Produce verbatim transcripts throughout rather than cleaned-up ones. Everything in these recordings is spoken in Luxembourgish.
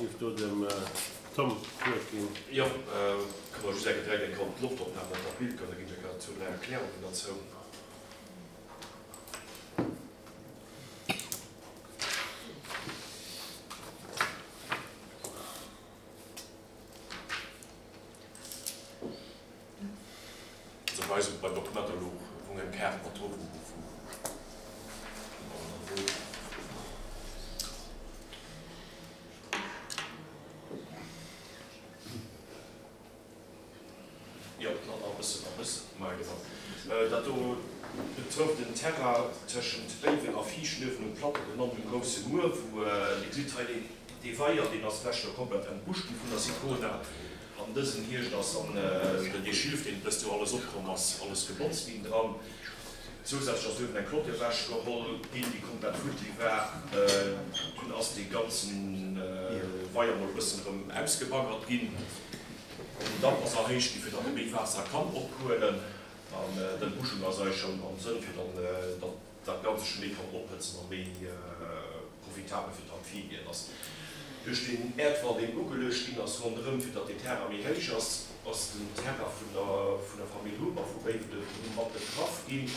Géif do dem Tom d'Wuert ginn. Jo, kënne mer just eng direkt eng Kéier op d'Loftopnam mat der Bild goen, da ginn ech eng Kéier zwou, dräi Erklärungen derzou. Also bei eis bei den Dokumenter louch wou eng Kaart mat dru wou wou Jo, nach e bëssen, nach e bëssen. Maja, genau. Dat do betrëfft den Terrain tëschent Béiwen a Viischnuewen um Plateau, genannt um Grousse Muer, wou Dir gesitt hei deen, dee Weier, deen ass d'lescht Joer komplett entbuscht gi vun der Sicona. An dësen Hierscht ass dann dee Schilf, deen dëst Joer alles opkomm ass, alles gebotzt ginn dran. Zousätzlech ass uewen eng Clôture ewechgeholl ginn, déi komplett futti war. Dunn ass dee ganzen Weier mol e bëssen erëm ausgebaggert ginn. Den Damm ass erhéicht ginn, fir datt e méi Waasser kann ophuelen. An d'Entbuschung ass eigentlech am Sënn, fir dann datt dat Ganze scho méi kann ophëtzen a méi profitabel fir d'Amphibien ass. Duerch den Äerdwall, deen ugeluecht ginn ass ronderëm, fir datt deen Terrain méi héich ass, ass den Terrain vun der vun der Famill Huber vu Béiwen mat betraff ginn.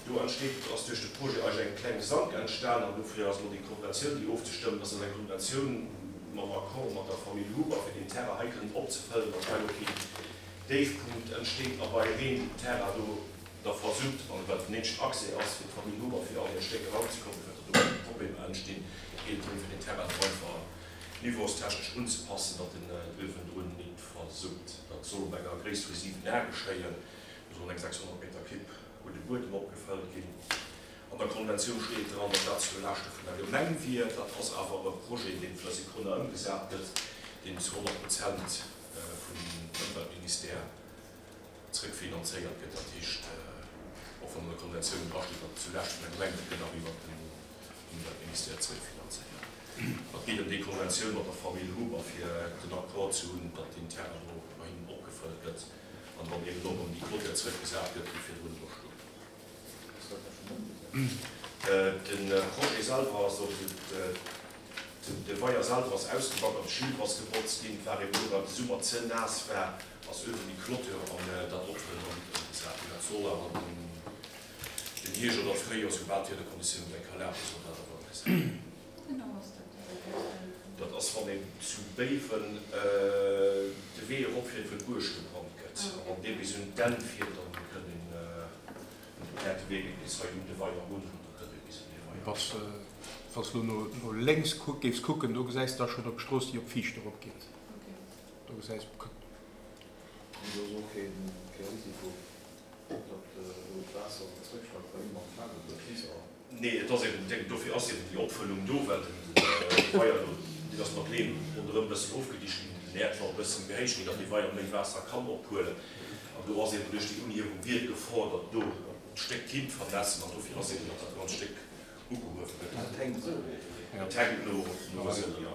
Do entsteet, ass duerch de Projet eigentlech eng kleng Sank entstan an dofir ass elo déi Konventioun, déi ofzestëmmen ass, ass eng Konventioun mam Accord mat der Famill Huber, fir deen Terrain hei kënnen opzefëllen, datt hei elo keen Déifpunkt entsteet a bei Reen den Terrain do da versitt, an well et den eenzegen Accès ass fir d'Famill Huber fir an hir Stéck eranzekommen, fir datt do keng Problemer entstinn, geet et drëm fir den Terrain do einfach niveaustechnesch unzepassen, datt en uewendrun nit versitt. Dat soll op enger Gréisst vu siwen Ar geschéien, do sollen eng sechshonnert Meter Kibb un de Buedem opgefëllt ginn. An der Konventioun steet dran, datt dat zu Laaschte vun der Gemeng wier. Dat ass awer e Projet, dee vun der Sicona ëmgesat gëtt, deen zu honnert Prozent vum Ëmweltministère zrëckfinanzéiert gëtt, dat heescht, och wann an der Konventioun drasteet, datt et zu Laaschte vun der Gemeng gëtt, gëtt awer iwwert den Ëmweltministère zrëckfinanzéiert. Et geet ëm déi Konventioun mat der Famill Huber, fir den Accord ze hunn, datt deen Terrain do bei hinnen opgefëllt gëtt an dann eben och erëm déi Clôture zrëckgesat gëtt, déi virdrun do stoung. De Projet selwer ass, also de Weier selwer ass ausgebaggert, de Schilf ass gebotzt ginn, et war eben elo, well de Summer ze naass war, ass uewen déi Clôture an dat Opfëllen nach nit ëmgesat ginn. Dat soll awer den Hierscht oder d'Fréijoer, soubal d'Wiederkonditiounen et enk erlaben, soll dat awer ëmgesat ginn. Dat ass, wann een zu Béiwen de Wee eropfiert, wou d'Buerg gebrannt gëtt, a wann dee bis un d'Enn fiert, dann kënnt een un de Päerd de Wee geet bis hei un de Weier erun, an da kënnt ee bis un dee Weier. Wann s de elo no lénks géifs kucken, do gesäis de da schonn op d'Strooss, déi op Viicht eropgeet. Do gesäis. An do ass och kee Risiko, datt do d'Waasser zréckschwappt, well ëmmer am Feld oder Kies ass. Nee, et ass eben, dofir ass eben déi Opfëllung do, well den Weier do, deen ass mat Leem ronderëm e bëssen ofgedicht ginn, den Äerdwall e bëssen gehéicht ginn, datt dee Weier méi Waasser kann ophuelen. An do ass eben duerch déi Unhiewung wier d'Gefor, datt do d'Stéck kinnt vernässen. An dofir ass eben, datt dat ganz Stéck ugehuewe gëtt. Dat hänkt esou erof. Dat hänkt no esou, jo.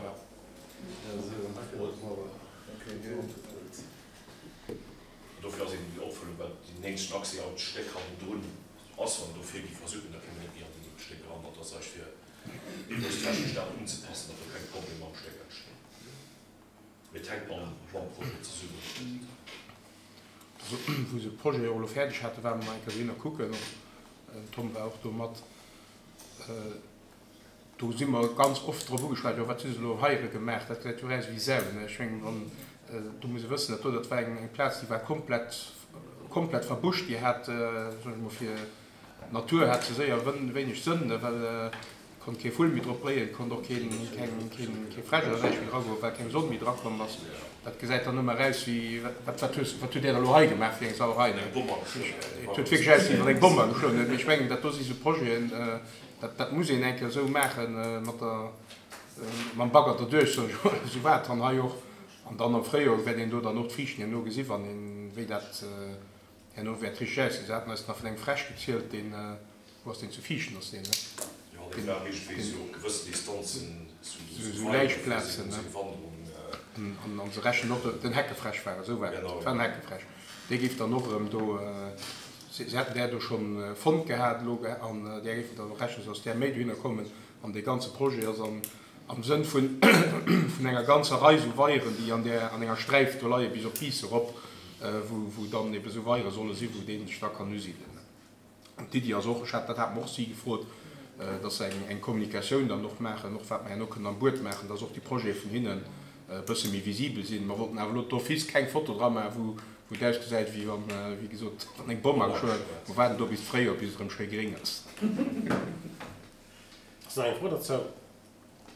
Dofir ass eben déi Opfëllung, well deen eenzegen Accès an d'Stéck hannendrun ass, wann dofir gi versucken, da kéim een net méi an déi Stéck eran. Dat ass eis fir niveaustechnesch dat unzepassen, datt do keng Problemer am Stéck entstinn. Mee et hänkt mam Projet zesummen. Wou se de Projet och elo fäerdeg haten, ware mer nach eng Kéier dohinner kucken. Den Tom war och do mat. Do si mer ganz oft drop ugeschwat, jo wat hu se elo heiere gemaach, dat gesäit jo aus wéi Sau. Ech mengen, wann, do muss ee wëssen, dat do, dat war eng Plaz, déi war komplett, komplett verbuscht, déi hat, soen ech emol, fir d'Natur hat se séier wéineg Sënn, well konnt kee Vull méi drop bréien, konnt och keen, keng, keen, kee Fräsch oder näischt méi dragoen, well keng Sonn méi drakomm ass. Dat gesäit dann ëmmer aus wéi, wat, wat hues, wat hutt Där da elo hei gemaach fir eng Sauerei? Et huet wierklech ausgesinn, wéi wann eng Bomm ageschloen huet. Mee ech mengen, dat do si sou Projeten, Dat, dat muss een eng Kéier esou maache mat der, mam Bagger derduerch, soen ech emol. Esou war et dann hei och. An dann am Fréijoer wäert een do dann och d'Friichten herno gesi wann een, wéi dat herno wäert richteg aussinn. Se haten eis nach vun engem Fräsch gezielt, deen, wou ass deen, zu Viichten ass deen, ne? Jo, dee war iergendwéi esou op gewëssen Distanzen, esou Läichplazen, ne? An, an se rechnen och, den Heckefräsch war et, esou war et, et war en Heckefräsch. Dee géif dann och erëm do. Si hätten där do schonn fonnt gehat elo an där géifen dann och rechnen, sodass där méi dohinner kommen. An dee ganze Projet ass an Am Sënn vun vun enger ganzer Rei sou Weieren, déi an där, an enger Sträif do leie bis op Biiss erop, wou, wou dann ebe sou Weiere solle sinn, wou dee sech da kann usidelen. An d'Iddi ass och, ech hat, dat hat mer och si gefrot, dass se eng, eng Kommunikatioun dann och maachen, och wat mer herno kënnen am Buet maachen, dass och déi Projete vun hinnen e bësse méi visibel sinn. Mer wollten awer elo d'office keng Foto dra maachen, wou, wou et ausgesäit, wéi wann, wéi gesot, wann eng Bomm ageschloen huet. Mer waarden do bis d'Fréijoer, bis et erëm schéi gréng ass. Ass nach eng Fro dozou?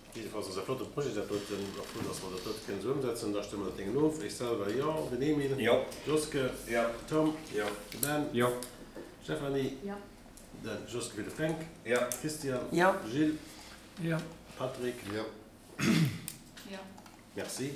Jiddefalls ass e flotte Projet dat doten. Och frou, dass mer dat dote kënnen esou ëmsetzen. Da stëmme mer dat Déngen of. Ech selwer, jo. Den Emile? Jo. Joske? Jo. Tom? Jo. De Ben? Jo. Stéphanie? Jo. De Joske fir de Fränk? Jo. Christian? Jo. Gilles? Jo. Patrick? Jo. Jo. Merci.